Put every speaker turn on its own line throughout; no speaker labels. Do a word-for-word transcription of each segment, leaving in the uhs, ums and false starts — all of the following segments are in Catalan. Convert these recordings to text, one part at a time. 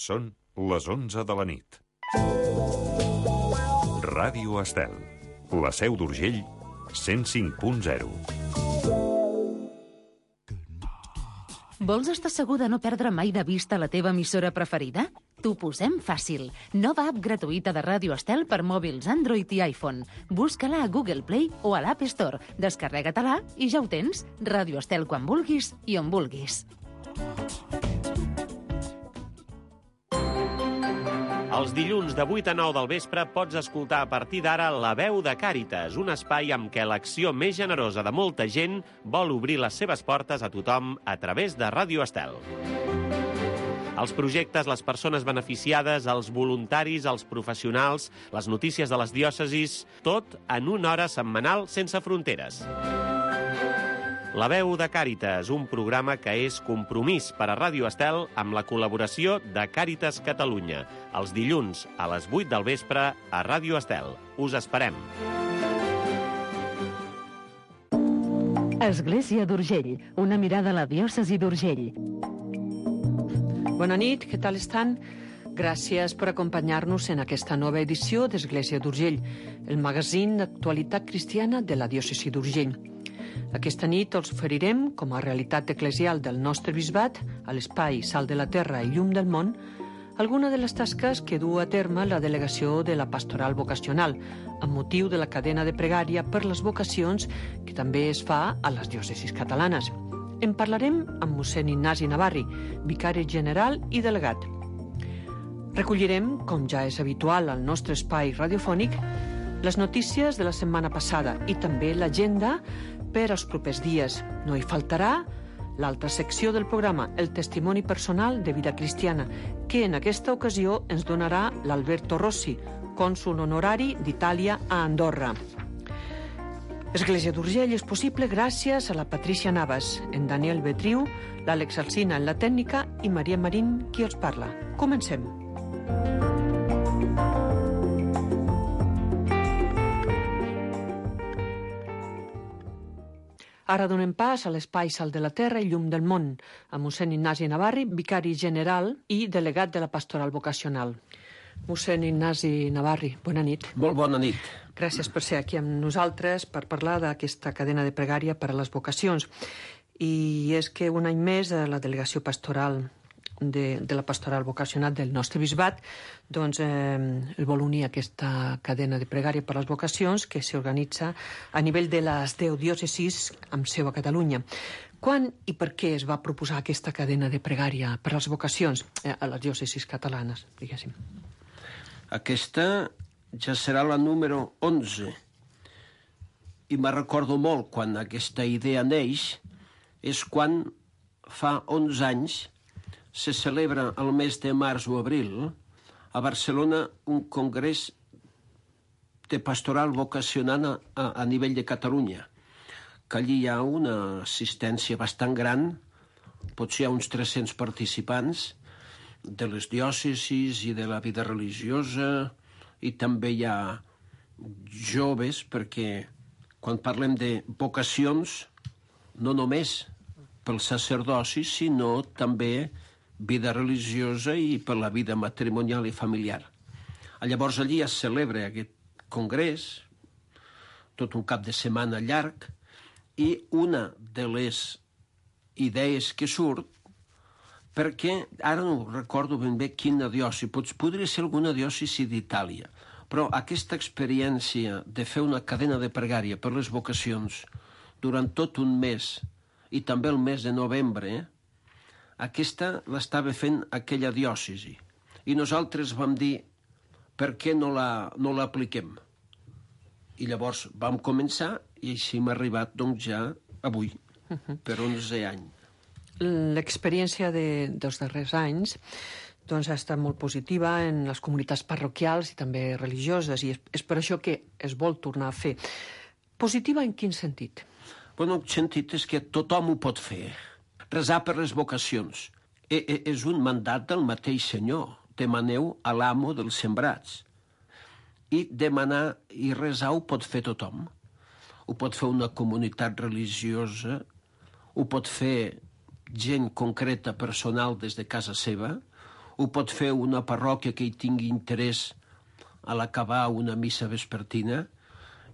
Són les onze de la nit. Ràdio Estel, la Seu d'Urgell, cent cinc punt zero.
Vols estar segur de no perdre mai de vista la teva emissora preferida? T'ho posem fàcil. Nova app gratuïta de Ràdio Estel per mòbils Android i iPhone. Busca-la a Google Play o a l'App Store. Descarrega-te-la i ja ho tens. Ràdio Estel quan vulguis i on vulguis.
Els dilluns de vuit a nou del vespre pots escoltar a partir d'ara La Veu de Càritas, un espai amb què l'acció més generosa de molta gent vol obrir les seves portes a tothom a través de Ràdio Estel. Els projectes, les persones beneficiades, els voluntaris, els professionals, les notícies de les diòcesis, tot en una hora setmanal sense fronteres. La Veu de Càritas, un programa que és compromís per a Ràdio Estel amb la col·laboració de Càritas Catalunya. Els dilluns a les vuit del vespre a Ràdio Estel. Us esperem.
Església d'Urgell, una mirada a la diòcesi d'Urgell.
Bona nit, què tal estan? Gràcies per acompanyar-nos en aquesta nova edició d'Església d'Urgell, el magazín d'actualitat cristiana de la diòcesi d'Urgell. Aquesta nit els oferirem, com a realitat eclesial del nostre bisbat, a l'espai Sal de la Terra i Llum del Món, alguna de les tasques que du a terme la delegació de la Pastoral Vocacional, amb motiu de la cadena de pregària per les vocacions que també es fa a les diòcesis catalanes. En parlarem amb mossèn Ignasi Navarri, vicari general i delegat. Recollirem, com ja és habitual al nostre espai radiofònic, les notícies de la setmana passada i també l'agenda per als propers dies. No hi faltarà l'altra secció del programa, el testimoni personal de vida cristiana, que en aquesta ocasió ens donarà l'Alberto Rossi, cònsol honorari d'Itàlia a Andorra. Església d'Urgell és possible gràcies a la Patricia Navas, en Daniel Betriu, l'Àlex Alsina en la tècnica i Maria Marín qui els parla. Comencem. Ara donem pas a l'espai Sal de la Terra i Llum del Món, amb mossèn Ignasi Navarri, vicari general i delegat de la Pastoral Vocacional. Mossèn Ignasi Navarri, bona nit.
Molt bona nit.
Gràcies per ser aquí amb nosaltres per parlar d'aquesta cadena de pregària per a les vocacions. I és que un any més la delegació pastoral de, de la Pastoral Vocacional del nostre bisbat doncs, eh, el vol unir aquesta cadena de pregària per a les vocacions que s'organitza a nivell de les deu diòcesis amb seu a Catalunya. Quan i per què es va proposar aquesta cadena de pregària per a les vocacions eh, a les diòcesis catalanes, diguéssim?
Aquesta ja serà la número onze. I me recordo molt quan aquesta idea neix, és quan fa onze anys se celebra el mes de març o abril a Barcelona un congrés de pastoral vocacional a, a nivell de Catalunya, que allí hi ha una assistència bastant gran, potser hi ha uns tres-cents participants de les diòcesis i de la vida religiosa, i també hi ha joves, perquè quan parlem de vocacions, no només pel sacerdoci, sinó també vida religiosa i per la vida matrimonial i familiar. Llavors allí es celebra aquest congrés, tot un cap de setmana llarg, i una de les idees que surt, perquè ara no recordo ben bé quina diòcesi, podria ser alguna diòcesi d'Itàlia, però aquesta experiència de fer una cadena de pregària per les vocacions durant tot un mes, i també el mes de novembre, aquesta l'estava fent aquella diòcesi. I nosaltres vam dir, per què no la, no l'apliquem? I llavors vam començar, i així hem arribat doncs ja avui, per onze anys.
L'experiència de, dels darrers anys doncs, ha estat molt positiva en les comunitats parroquials i també religioses, i és, és per això que es vol tornar a fer. Positiva en quin sentit?
Bueno, el sentit és que tothom ho pot fer. Resar per les vocacions. E, e, és un mandat del mateix Senyor. Demaneu a l'amo dels sembrats. I demanar i resar ho pot fer tothom. Ho pot fer una comunitat religiosa, ho pot fer gent concreta, personal, des de casa seva, ho pot fer una parròquia que hi tingui interès a l'acabar una missa vespertina.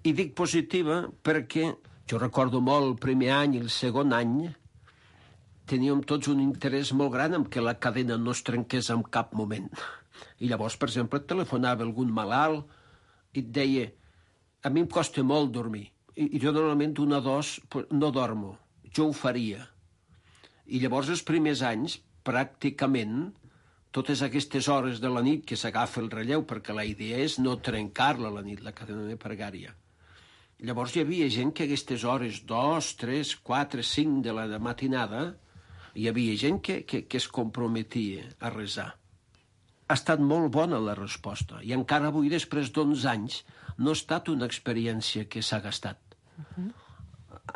I dic positiva perquè jo recordo molt el primer any i el segon any teníem tots un interès molt gran en que la cadena no es trenqués en cap moment. I llavors, per exemple, et telefonava algun malalt i et deia a mi em costa molt dormir i, i jo normalment una dos no dormo, jo ho faria. I llavors els primers anys, pràcticament, totes aquestes hores de la nit que s'agafa el relleu, perquè la idea és no trencar-la la nit, la cadena de pregària. Llavors hi havia gent que aquestes hores, dos, tres, quatre, cinc de la matinada, hi havia gent que, que, que es comprometia a resar. Ha estat molt bona la resposta i encara avui, després d'onze anys, no ha estat una experiència que s'ha gastat. Uh-huh.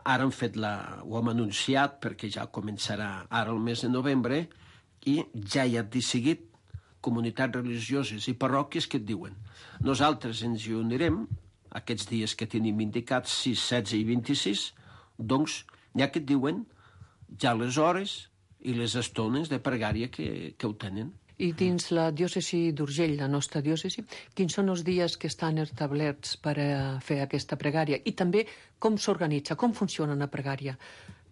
Ara hem fet la... ho hem anunciat perquè ja començarà ara el mes de novembre i ja hi ha decidit comunitats religioses i parròquies que et diuen nosaltres ens hi unirem aquests dies que tenim indicats, sis, setze i vint-i-sis, doncs ja que et diuen ja les hores i les estones de pregària que, que ho tenen.
I dins la diòcesi d'Urgell, la nostra diòcesi, quins són els dies que estan establerts per a fer aquesta pregària? I també com s'organitza, com funciona una pregària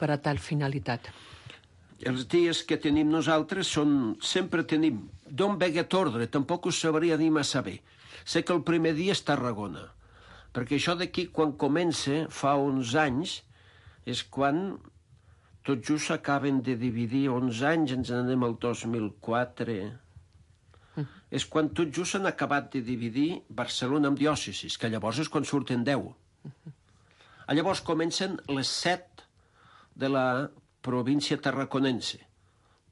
per a tal finalitat?
Els dies que tenim nosaltres són... Sempre tenim... D'on ve aquest ordre? Tampoc us sabria dir massa bé. Sé que el primer dia és Tarragona, perquè això d'aquí, quan comença, fa onze anys, és quan... Tot just s'acaben de dividir onze anys, ens anem al dos mil quatre. Mm. És quan tot just s'han acabat de dividir Barcelona amb diòcesis, que llavors és quan surten deu. Mm-hmm. Llavors comencen les set de la província tarraconense.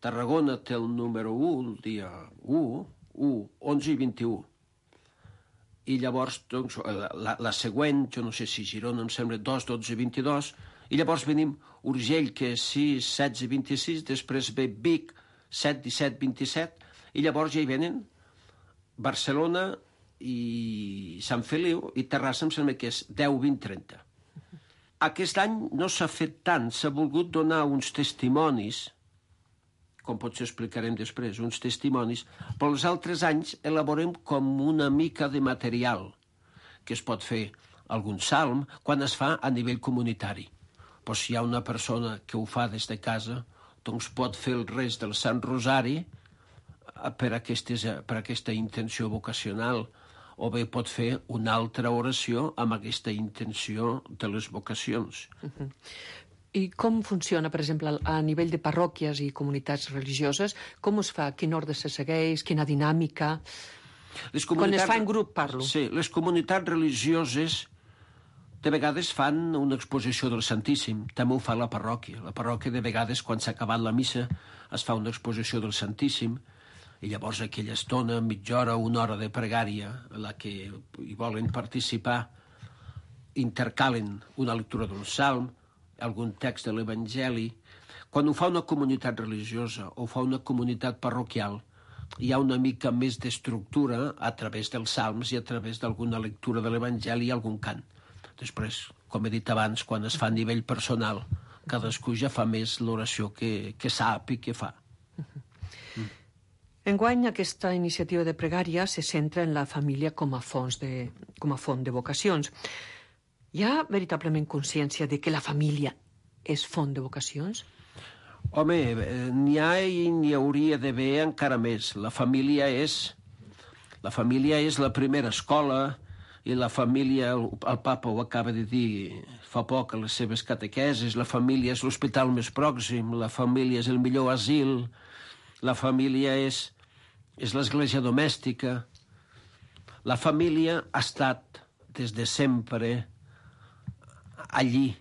Tarragona té el número u, el dia u, u, onze i vint-i-u. I llavors, doncs, la, la següent, jo no sé si Girona, em sembla dos, dotze, vint-i-dos, i llavors venim Urgell, que és sis, setze, vint-i-sis, després ve Vic, set, disset, vint-i-set, i llavors ja hi venen Barcelona i Sant Feliu, i Terrassa em sembla que és deu, vint, trenta. Aquest any no s'ha fet tant, s'ha volgut donar uns testimonis, com potser explicarem després, uns testimonis, però els altres anys elaborem com una mica de material, que es pot fer algun salm, quan es fa a nivell comunitari. Però si hi ha una persona que ho fa des de casa, doncs pot fer el rest del Sant Rosari per, aquestes, per aquesta intenció vocacional, o bé pot fer una altra oració amb aquesta intenció de les vocacions.
Uh-huh. I com funciona, per exemple, a nivell de parròquies i comunitats religioses? Com es fa? Quin ordre se segueix? Quina dinàmica? Les comunitats... Quan es fa en grup, parlo.
Sí, les comunitats religioses de vegades fan una exposició del Santíssim. També ho fa la parròquia. La parròquia, de vegades, quan s'ha acabat la missa, es fa una exposició del Santíssim, i llavors aquella estona, mitja hora, una hora de pregària, en la que hi volen participar, intercalen una lectura d'un salm, algun text de l'Evangeli. Quan ho fa una comunitat religiosa o fa una comunitat parroquial, hi ha una mica més d'estructura a través dels salms i a través d'alguna lectura de l'Evangeli i algun cant. Després, com he dit abans, quan es fa a nivell personal, cadascú ja fa més l'oració que, que sap i que fa.
Mm. Enguany, aquesta iniciativa de pregària se centra en la família com a, fons de, com a font de vocacions. Hi ha veritablement consciència de que la família és font de vocacions?
Home, n'hi ha i n'hi hauria d'haver encara més. La família és... La família és la primera escola, i la família, el, el papa ho acaba de dir fa poc a les seves catequeses, la família és l'hospital més pròxim, la família és el millor asil, la família és, és l'església domèstica. La família ha estat des de sempre allí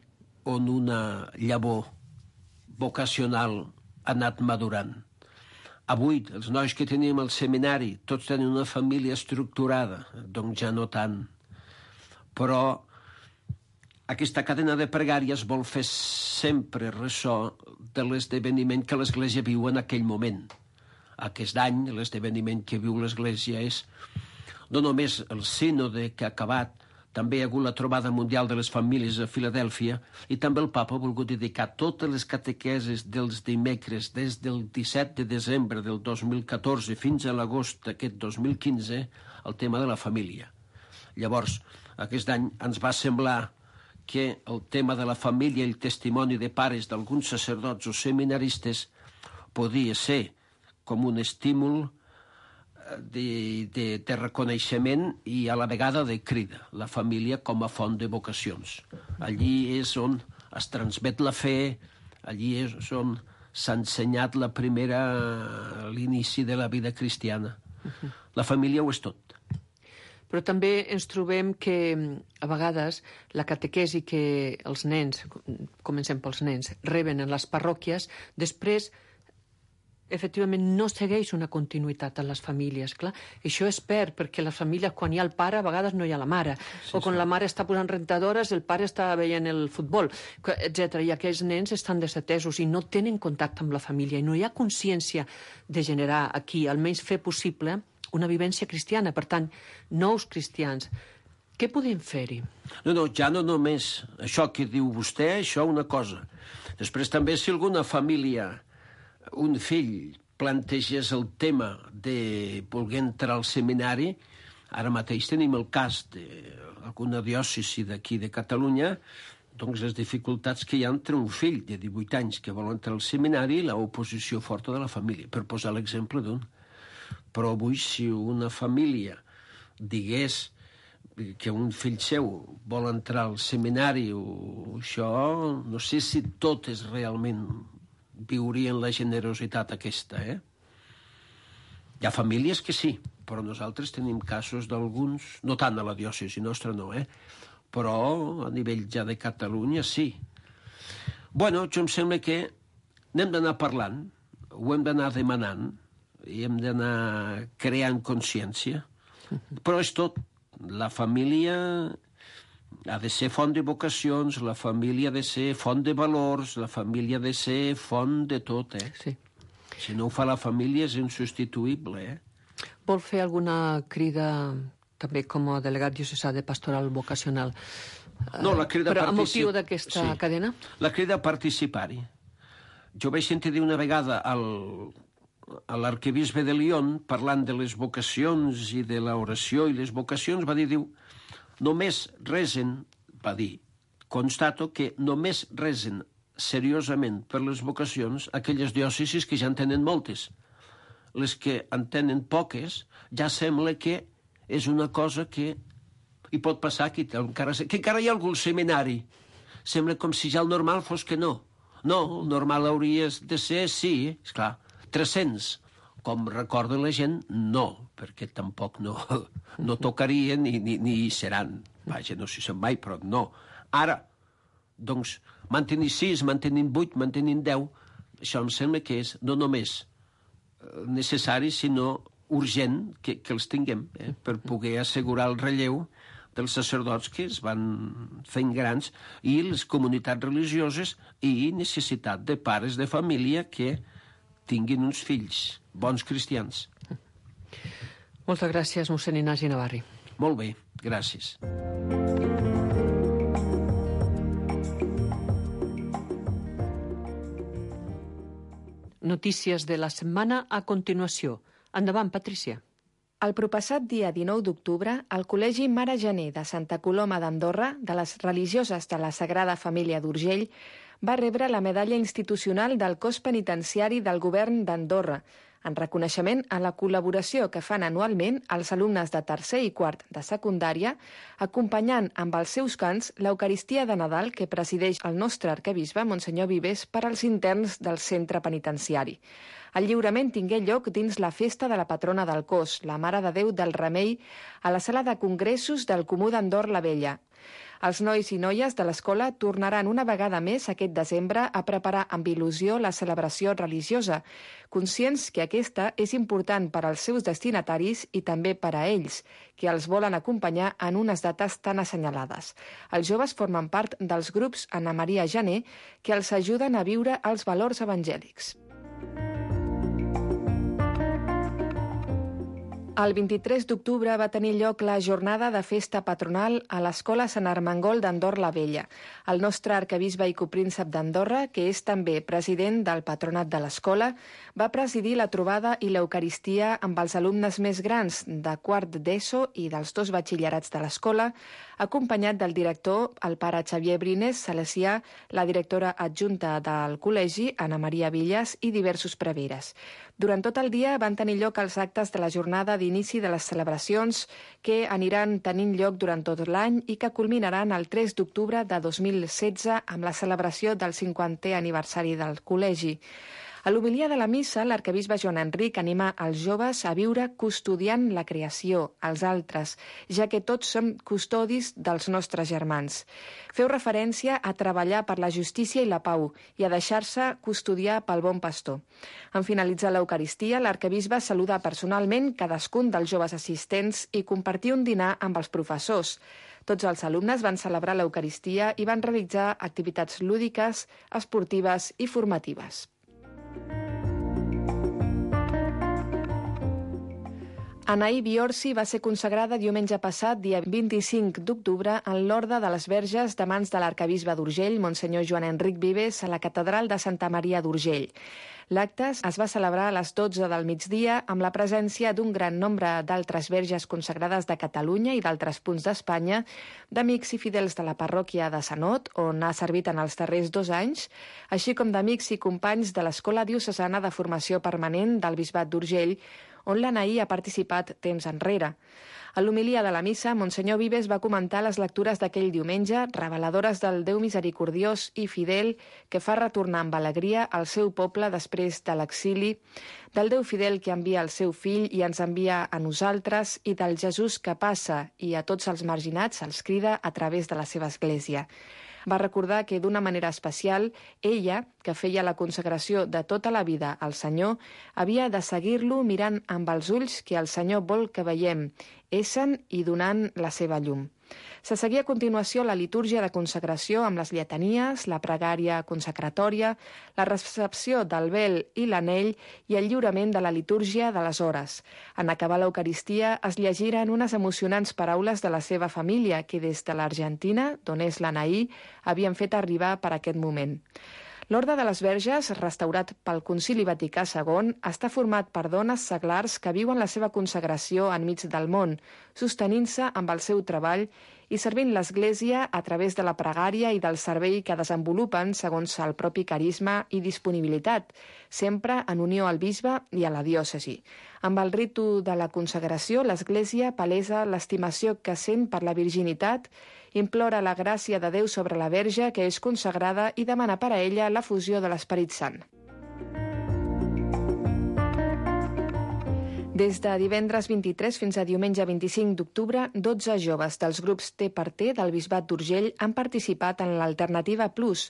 on una llavor vocacional ha anat madurant. Avui, els nois que tenim al seminari, tots tenen una família estructurada, doncs ja no tant. Però aquesta cadena de pregàries vol fer sempre ressò de l'esdeveniment que l'Església viu en aquell moment. Aquest any, l'esdeveniment que viu l'Església és no només el sínode que ha acabat, també hi ha hagut la trobada mundial de les famílies a Filadèlfia i també el papa ha volgut dedicar totes les catequeses dels dimecres des del disset de desembre del dos mil catorze fins a l'agost d'aquest dos mil quinze al tema de la família. Llavors, aquest any ens va semblar que el tema de la família i el testimoni de pares d'alguns sacerdots o seminaristes podia ser com un estímul de, de, de reconeixement i a la vegada de crida, la família com a font de vocacions. Allí és on es transmet la fe, allí és on s'ha ensenyat la primera, l'inici de la vida cristiana. La família ho és tot.
Però també ens trobem que a vegades la catequesi que els nens, comencem pels nens, reben en les parròquies, després efectivament no segueix una continuïtat en les famílies, clar. Això es perd, perquè les famílies, quan hi ha el pare, a vegades no hi ha la mare. Sí, o quan sí. La mare està posant rentadores, el pare està veient el futbol, etcètera. I aquells nens estan desatesos i no tenen contacte amb la família. I no hi ha consciència de generar aquí, almenys fer possible una vivència cristiana. Per tant, nous cristians. Què podem fer-hi?
No, no, ja no només això que diu vostè, això una cosa. Després també si alguna família, un fill plantegés el tema de voler entrar al seminari, ara mateix tenim el cas d'alguna diòcesi d'aquí de Catalunya, doncs les dificultats que hi ha entre un fill de divuit anys que vol entrar al seminari i l'oposició forta de la família, per posar l'exemple d'un. Però avui, si una família digués que un fill seu vol entrar al seminari o això, no sé si totes realment viurien la generositat aquesta, eh? Hi ha famílies que sí, però nosaltres tenim casos d'alguns, no tant a la diòcesi nostra no, eh? Però a nivell ja de Catalunya sí. Bueno, jo em sembla que n'hem d'anar parlant, ho hem d'anar demanant, i hem d'anar creant consciència, però és tot. La família ha de ser font de vocacions, la família ha de ser font de valors, la família ha de ser font de tot, eh?
Sí.
Si no ho fa la família és insubstituïble, eh?
Vol fer alguna crida, també com a delegat diocesà de pastoral vocacional?
No, la crida
Però a
particip...
motiu d'aquesta
sí.
cadena?
La crida a participar-hi. Jo vaig sentir dir una vegada al, a l'arquebisbe de Lyon, parlant de les vocacions i de l'oració i les vocacions, va dir, diu, només resen, va dir, constato que només resen seriosament per les vocacions aquelles diòcesis que ja en tenen moltes. Les que en tenen poques ja sembla que és una cosa que hi pot passar, que encara, que encara hi ha algun seminari. Sembla com si ja el normal fos que no. No, el normal hauria de ser, sí, esclar, tres-cents. Com recorda la gent, no, perquè tampoc no, no tocarien ni, ni, ni hi seran. Vaja, no sé si mai, però no. Ara, doncs, mantenir sis, mantenint vuit, mantenint deu, això em sembla que és no només necessari, sinó urgent que, que els tinguem, eh, per poder assegurar el relleu dels sacerdots que es van fent grans i les comunitats religioses i necessitat de pares de família que tinguin uns fills bons cristians.
Moltes gràcies, mossèn Ignasi Navarri.
Molt bé, gràcies.
Notícies de la setmana a continuació. Endavant, Patrícia.
El propassat dia dinou d'octubre, el Col·legi Mare Gener de Santa Coloma d'Andorra, de les religioses de la Sagrada Família d'Urgell, va rebre la medalla institucional del cos penitenciari del govern d'Andorra, en reconeixement a la col·laboració que fan anualment els alumnes de tercer i quart de secundària, acompanyant amb els seus cants l'Eucaristia de Nadal que presideix el nostre arquebisbe, Monsenyor Vives, per als interns del centre penitenciari. El lliurament tingué lloc dins la festa de la patrona del cos, la Mare de Déu del Remei, a la sala de congressos del Comú d'Andorra la Vella. Els nois i noies de l'escola tornaran una vegada més aquest desembre a preparar amb il·lusió la celebració religiosa, conscients que aquesta és important per als seus destinataris i també per a ells, que els volen acompanyar en unes dates tan assenyalades. Els joves formen part dels grups Anna Maria Gener, que els ajuden a viure els valors evangèlics. El vint-i-tres d'octubre va tenir lloc la jornada de festa patronal a l'Escola Sant Armengol d'Andorra la Vella. El nostre arquebisbe i copríncep d'Andorra, que és també president del patronat de l'escola, va presidir la trobada i l'Eucaristia amb els alumnes més grans de quart d'ESO i dels dos batxillerats de l'escola, acompanyat del director, el pare Xavier Brines Salesià, la directora adjunta del col·legi, Anna Maria Villas, i diversos preveres. Durant tot el dia van tenir lloc els actes de la jornada d'inici de les celebracions que aniran tenint lloc durant tot l'any i que culminaran el tres d'octubre de dos mil setze amb la celebració del cinquantè aniversari del col·legi. A l'homilia de la missa, l'arquebisbe Joan Enric anima els joves a viure custodiant la creació, els altres, ja que tots som custodis dels nostres germans. Feu referència a treballar per la justícia i la pau i a deixar-se custodiar pel bon pastor. En finalitzar l'Eucaristia, l'arquebisbe saluda personalment cadascun dels joves assistents i compartir un dinar amb els professors. Tots els alumnes van celebrar l'Eucaristia i van realitzar activitats lúdiques, esportives i formatives. Anaí Biorsi va ser consagrada diumenge passat, dia vint-i-cinc d'octubre, en l'Orde de les Verges de mans de l'arquebisbe d'Urgell, Monsenyor Joan Enric Vives, a la catedral de Santa Maria d'Urgell. L'acte es va celebrar a les dotze del migdia amb la presència d'un gran nombre d'altres verges consagrades de Catalunya i d'altres punts d'Espanya, d'amics i fidels de la parròquia de Sanot, on ha servit en els darrers dos anys, així com d'amics i companys de l'Escola Diocesana de Formació Permanent del Bisbat d'Urgell, on l'Anaí ha participat temps enrere. A l'homilia de la missa, Monsenyor Vives va comentar les lectures d'aquell diumenge, reveladores del Déu misericordiós i fidel que fa retornar amb alegria al seu poble després de l'exili, del Déu fidel que envia el seu fill i ens envia a nosaltres, i del Jesús que passa i a tots els marginats els crida a través de la seva església. Va recordar que d'una manera especial, ella, que feia la consagració de tota la vida al Senyor, havia de seguir-lo mirant amb els ulls que el Senyor vol que veiem, essent i donant la seva llum. Se seguia a continuació la litúrgia de consagració amb les lletanies, la pregària consacratòria, la recepció del vel i l'anell i el lliurament de la litúrgia de les hores. En acabar l'Eucaristia es llegiren unes emocionants paraules de la seva família que des de l'Argentina, d'on és l'Anaí, havien fet arribar per aquest moment. L'Orde de les Verges, restaurat pel Concili Vaticà segon, està format per dones seglars que viuen la seva consagració enmig del món, sostenint-se amb el seu treball i servint l'Església a través de la pregària i del servei que desenvolupen segons el propi carisma i disponibilitat, sempre en unió al bisbe i a la diòcesi. Amb el ritu de la consagració, l'Església palesa l'estimació que sent per la virginitat, implora la gràcia de Déu sobre la Verge que és consagrada i demana per a ella la fusió de l'Esperit Sant. Des de divendres vint-i-tres fins a diumenge vint-i-cinc d'octubre, dotze joves dels grups T per T del Bisbat d'Urgell han participat en l'Alternativa Plus,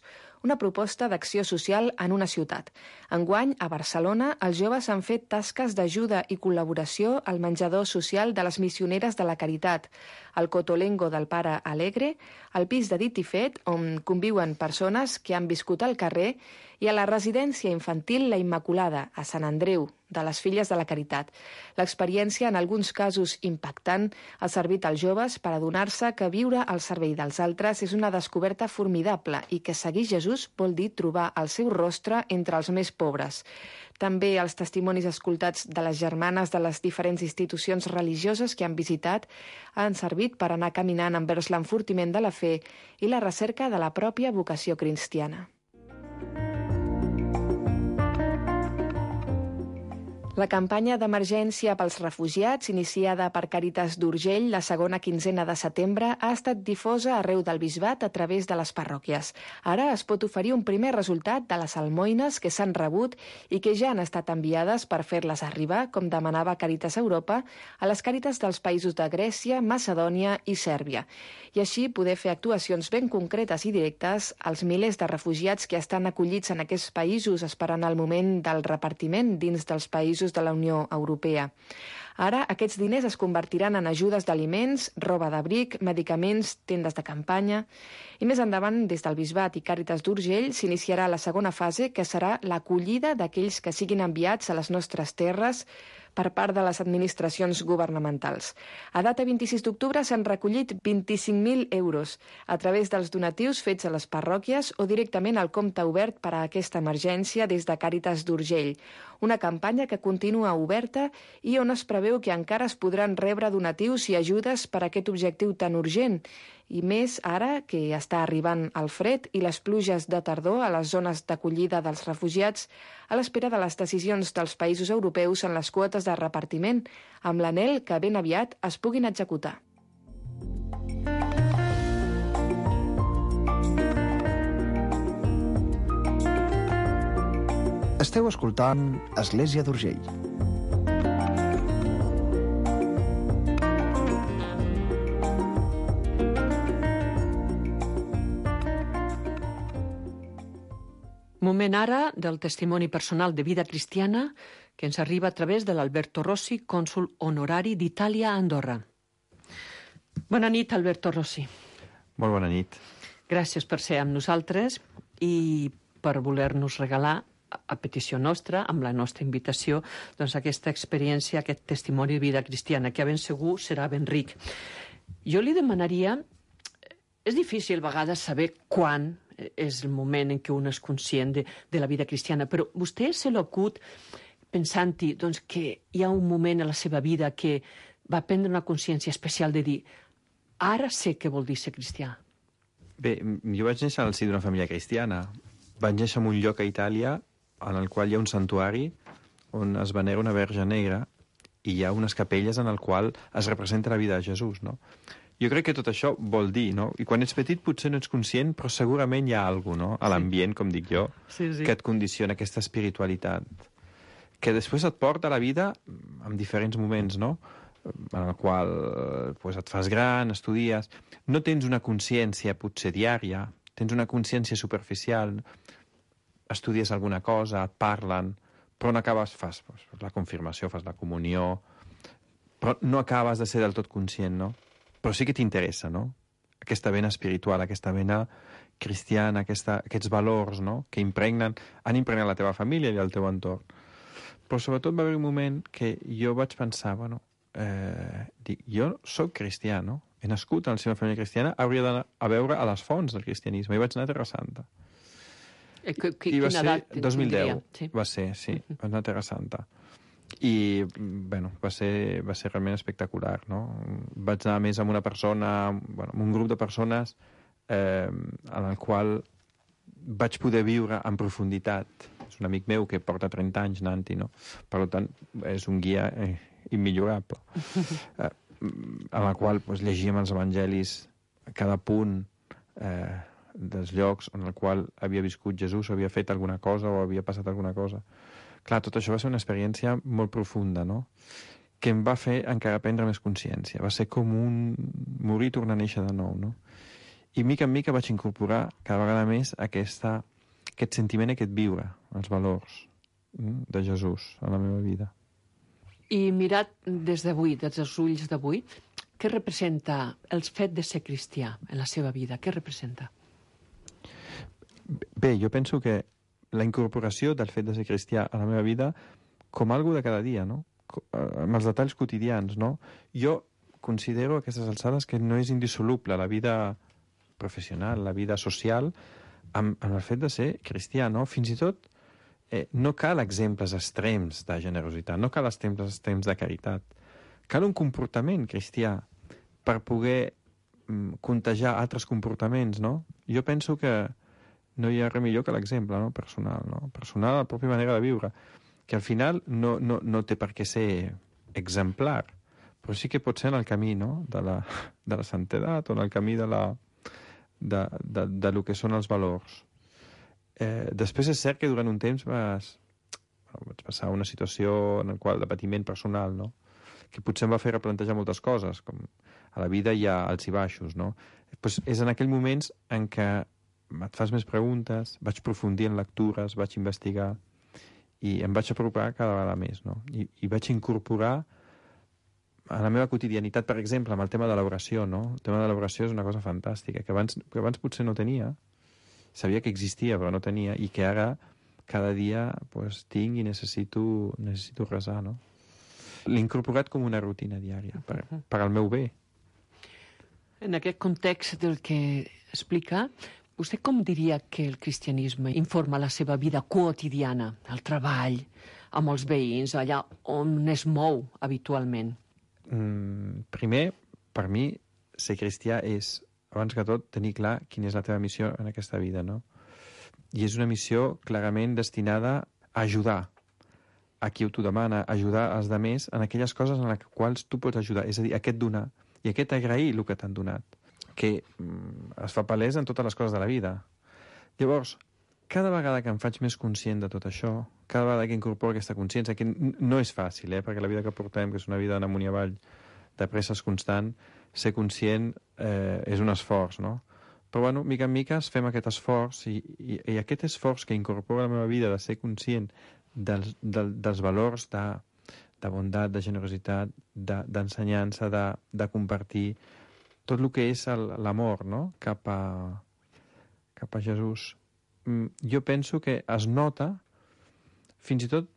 una proposta d'acció social en una ciutat. Enguany, a Barcelona, els joves han fet tasques d'ajuda i col·laboració al menjador social de les missioneres de la Caritat, al Cotolengo del Pare Alegre, al pis de Dit i Fet, on conviuen persones que han viscut al carrer, i a la residència infantil La Immaculada, a Sant Andreu, de les Filles de la Caritat. L'experiència, en alguns casos impactant, ha servit als joves per adonar-se que viure al servei dels altres és una descoberta formidable i que seguir Jesús vol dir trobar el seu rostre entre els més pobres. També els testimonis escoltats de les germanes de les diferents institucions religioses que han visitat han servit per anar caminant envers l'enfortiment de la fe i la recerca de la pròpia vocació cristiana. La campanya d'emergència pels refugiats, iniciada per Càritas d'Urgell la segona quinzena de setembre, ha estat difosa arreu del Bisbat a través de les parròquies. Ara es pot oferir un primer resultat de les almoines que s'han rebut i que ja han estat enviades per fer-les arribar, com demanava Càritas Europa, a les Càritas dels països de Grècia, Macedònia i Sèrbia. I així poder fer actuacions ben concretes i directes als milers de refugiats que estan acollits en aquests països esperant el moment del repartiment dins dels països de la Unió Europea. Ara, aquests diners es convertiran en ajudes d'aliments, roba d'abric, medicaments, tendes de campanya. I més endavant, des del Bisbat i Càritas d'Urgell, s'iniciarà la segona fase, que serà l'acollida d'aquells que siguin enviats a les nostres terres per part de les administracions governamentals. A data vint-i-sis d'octubre s'han recollit vint-i-cinc mil euros a través dels donatius fets a les parròquies o directament al compte obert per a aquesta emergència des de Càritas d'Urgell. Una campanya que continua oberta i on es preveu que encara es podran rebre donatius i ajudes per a aquest objectiu tan urgent, i més ara que està arribant el fred i les pluges de tardor a les zones d'acollida dels refugiats a l'espera de les decisions dels països europeus en les quotes de repartiment, amb l'anhel que ben aviat es puguin executar.
Esteu escoltant Església d'Urgell.
Moment ara del testimoni personal de vida cristiana que ens arriba a través de l'Alberto Rossi, cònsol honorari d'Itàlia a Andorra. Bona nit, Alberto Rossi.
Molt bona nit.
Gràcies per ser amb nosaltres i per voler-nos regalar, a petició nostra, amb la nostra invitació, doncs aquesta experiència, aquest testimoni de vida cristiana, que a ben segur serà ben ric. Jo li demanaria... És difícil a vegades saber quan és el moment en què un és conscient de, de la vida cristiana, però vostè se l'acut pensant-hi doncs, que hi ha un moment a la seva vida que va prendre una consciència especial de dir ara sé què vol dir ser cristià.
Bé, jo vaig néixer al si d'una família cristiana. Vaig néixer en un lloc a Itàlia en el qual hi ha un santuari on es venera una verge negra i hi ha unes capelles en el qual es representa la vida de Jesús, no? Jo crec que tot això vol dir, no? I quan ets petit potser no ets conscient, però segurament hi ha alguna cosa, no? A l'ambient, com dic jo,
sí, sí.
que et condiciona aquesta espiritualitat. Que després et porta a la vida en diferents moments, no? En el qual pues, et fas gran, estudies... No tens una consciència potser diària, tens una consciència superficial, estudies alguna cosa, et parlen, però no acabes... Fas pues, la confirmació, fas la comunió... Però no acabes de ser del tot conscient, no? Però sí que t'interessa, no? Aquesta vena espiritual, aquesta vena cristiana, aquesta, aquests valors, no? Que impregnen, han impregnat la teva família i el teu entorn. Però sobretot va haver un moment que jo vaig pensar, bueno, eh, dic, jo soc cristià, no? He nascut en la seva família cristiana, hauria d'anar a veure a les fonts del cristianisme. I vaig anar a Terra Santa.
I, I
quina
ser edat
dos mil deu,
sí.
Va ser, sí, uh-huh. Vaig anar a Terra Santa. I, bueno, va ser, va ser realment espectacular, no? Vaig anar més amb una persona, bueno, amb un grup de persones eh, en el qual vaig poder viure en profunditat. És un amic meu que porta trenta anys anant-hi, no? Per tant, és un guia eh, immillorable. Eh, en el qual pues, llegíem els evangelis a cada punt eh, dels llocs en el qual havia viscut Jesús, havia fet alguna cosa o havia passat alguna cosa. Clar, tot això va ser una experiència molt profunda, no? Que em va fer encara prendre més consciència. Va ser com un morir i tornar a néixer de nou, no? I mica en mica vaig incorporar cada vegada més aquesta, aquest sentiment, aquest viure, els valors de Jesús a la meva vida.
I mirat des d'avui, des dels ulls d'avui, què representa el fet de ser cristià en la seva vida? Què representa?
Bé, jo penso que la incorporació del fet de ser cristià a la meva vida com algo de cada dia, no? Amb els detalls quotidians, no? Jo considero a aquestes alçades que no és indissoluble la vida professional, la vida social, amb, amb el fet de ser cristià, no? Fins i tot eh, no cal exemples extrems de generositat, no cal exemples extrems de caritat. Cal un comportament cristià per poder mm, contagiar altres comportaments, no? Jo penso que no hi ha res millor que l'exemple, no? Personal, no? Personal, la pròpia manera de viure, que al final no, no, no té per què ser exemplar, però sí que pot ser en el camí, no? de, la, de la santedat o en el camí de, la, de, de, de lo que són els valors. Eh, després és cert que durant un temps vas, bueno, vaig passar una situació en la qual de patiment personal, no? Que potser em va fer replantejar moltes coses, com a la vida hi ha alts i baixos, no? Pues és en aquells moments en què et fas més preguntes, vaig profundir en lectures, vaig investigar i em vaig apropar cada vegada més, no? I, i vaig incorporar a la meva quotidianitat, per exemple, amb el tema de l'oració, no? El tema de l'oració és una cosa fantàstica, que abans, que abans potser no tenia, sabia que existia però no tenia, i que ara cada dia pues, tinc i necessito, necessito resar, no? L'he incorporat com una rutina diària, per, per al meu bé.
En aquest context del que explica, vostè com diria que el cristianisme informa la seva vida quotidiana, el treball, amb els veïns, allà on es mou habitualment?
Mm, primer, per mi, ser cristià és, abans que tot, tenir clar quina és la teva missió en aquesta vida, no? I és una missió clarament destinada a ajudar a qui t'ho demana, ajudar als altres en aquelles coses en les quals tu pots ajudar. És a dir, aquest donar i aquest agrair el que t'han donat, que mm, es fa palès en totes les coses de la vida. Llavors, cada vegada que em faig més conscient de tot això, cada vegada que incorporo aquesta consciència, que no és fàcil, eh? Perquè la vida que portem, que és una vida d'amunt i avall, de presses constant, ser conscient eh, és un esforç, no? Però, bueno, mica en mica fem aquest esforç i, i, i aquest esforç que incorpora a la meva vida de ser conscient dels, del, dels valors de, de bondat, de generositat, d'ensenyança, de, de, de compartir tot el que és l'amor, no? Cap a, cap a Jesús. Jo penso que es nota, fins i tot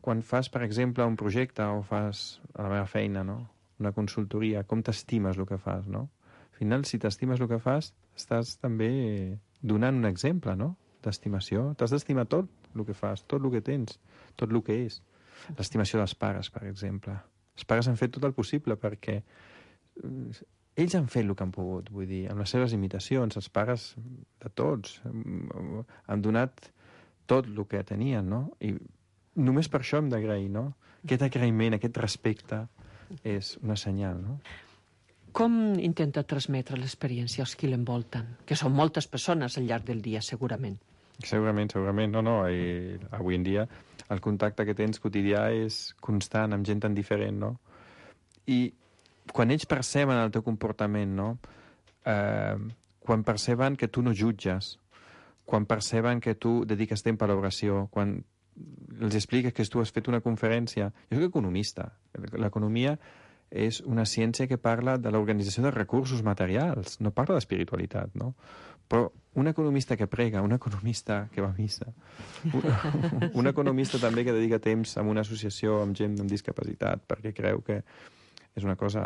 quan fas, per exemple, un projecte o fas a la meva feina, no? Una consultoria, com t'estimes el que fas, no? Al final, si t'estimes el que fas, estàs també donant un exemple, no? D'estimació. T'has d'estimar tot el que fas, tot el que tens, tot el que és. L'estimació dels pares, per exemple. Els pares han fet tot el possible perquè ells han fet el que han pogut, vull dir, amb les seves imitacions, els pares de tots han donat tot el que tenien, no? I només per això hem d'agrair, no? Aquest agraïment, aquest respecte és una senyal, no?
Com intenta transmetre l'experiència als qui l'envolten? Que són moltes persones al llarg del dia, segurament.
Segurament, segurament. No, no. I avui en dia el contacte que tens quotidià és constant, amb gent tan diferent, no? I quan ells perceben el teu comportament, no? Eh, quan perceben que tu no jutges, quan perceben que tu dediques temps a l'oració, quan els expliques que tu has fet una conferència... Jo soc economista. L'economia és una ciència que parla de l'organització de recursos materials, no parla d'espiritualitat, no? Però un economista que prega, un economista que va a missa, un, un economista també que dedica temps a una associació amb gent amb discapacitat perquè creu que és una cosa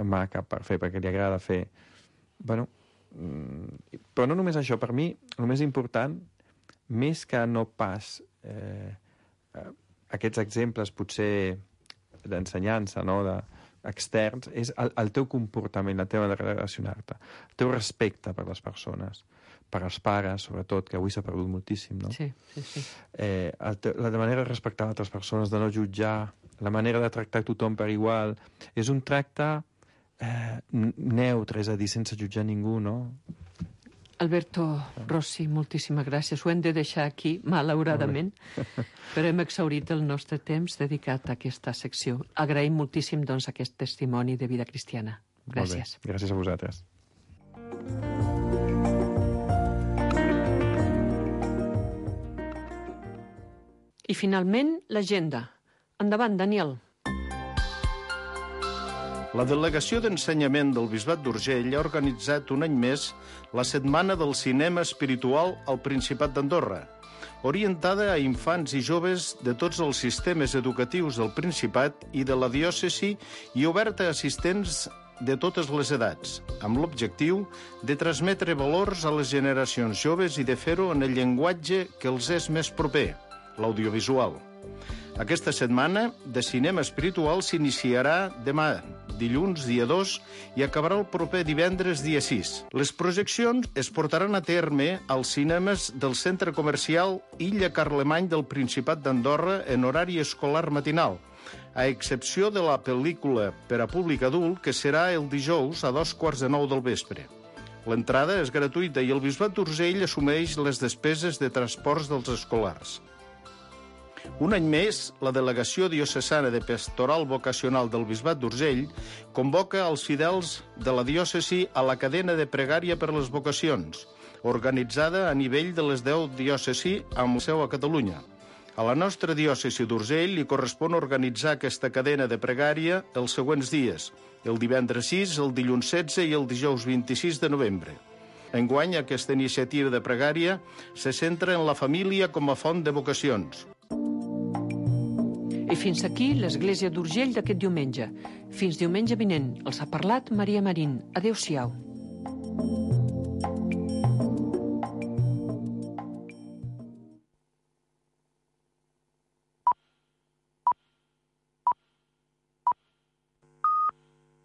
maca per fer, perquè li agrada fer. Bueno, però no només això. Per mi, el més important, més que no pas eh, aquests exemples potser d'ensenyança, no?, de, externs, és el, el teu comportament, la teva manera de relacionar-te, el teu respecte per les persones, per als pares, sobretot, que avui s'ha perdut moltíssim, no?
Sí, sí, sí.
Eh, el te, la manera de respectar altres persones, de no jutjar, la manera de tractar tothom per igual, és un tracte eh, neutre, és a dir, sense jutjar ningú, no?
Alberto Rossi, moltíssimes gràcies. Ho hem de deixar aquí, malauradament, però hem exhaurit el nostre temps dedicat a aquesta secció. Agraïm moltíssim, doncs, aquest testimoni de vida cristiana. Gràcies.
Gràcies a vosaltres.
I finalment, l'agenda. Endavant, Daniel.
La Delegació d'Ensenyament del Bisbat d'Urgell ha organitzat un any més la Setmana del Cinema Espiritual al Principat d'Andorra, orientada a infants i joves de tots els sistemes educatius del Principat i de la diòcesi i oberta a assistents de totes les edats, amb l'objectiu de transmetre valors a les generacions joves i de fer-ho en el llenguatge que els és més proper, l'audiovisual. Aquesta setmana de cinema espiritual s'iniciarà demà, dilluns, dia dos, i acabarà el proper divendres, dia sis. Les projeccions es portaran a terme als cinemes del Centre Comercial Illa Carlemany del Principat d'Andorra en horari escolar matinal, a excepció de la pel·lícula per a públic adult, que serà el dijous a dos quarts de nou del vespre. L'entrada és gratuïta i el Bisbat d'Urgell assumeix les despeses de transports dels escolars. Un any més, la Delegació Diocesana de Pastoral Vocacional del Bisbat d'Urgell convoca els fidels de la diòcesi a la cadena de pregària per les vocacions, organitzada a nivell de les deu diòcesi amb seu a Catalunya. A la nostra diòcesi d'Urgell li correspon organitzar aquesta cadena de pregària els següents dies, el divendres sis, el dilluns setze i el dijous vint-i-sis de novembre. Enguany, aquesta iniciativa de pregària se centra en la família com a font de vocacions.
I fins aquí l'Església d'Urgell d'aquest diumenge. Fins diumenge vinent. Els ha parlat Maria Marín. Adéu-siau.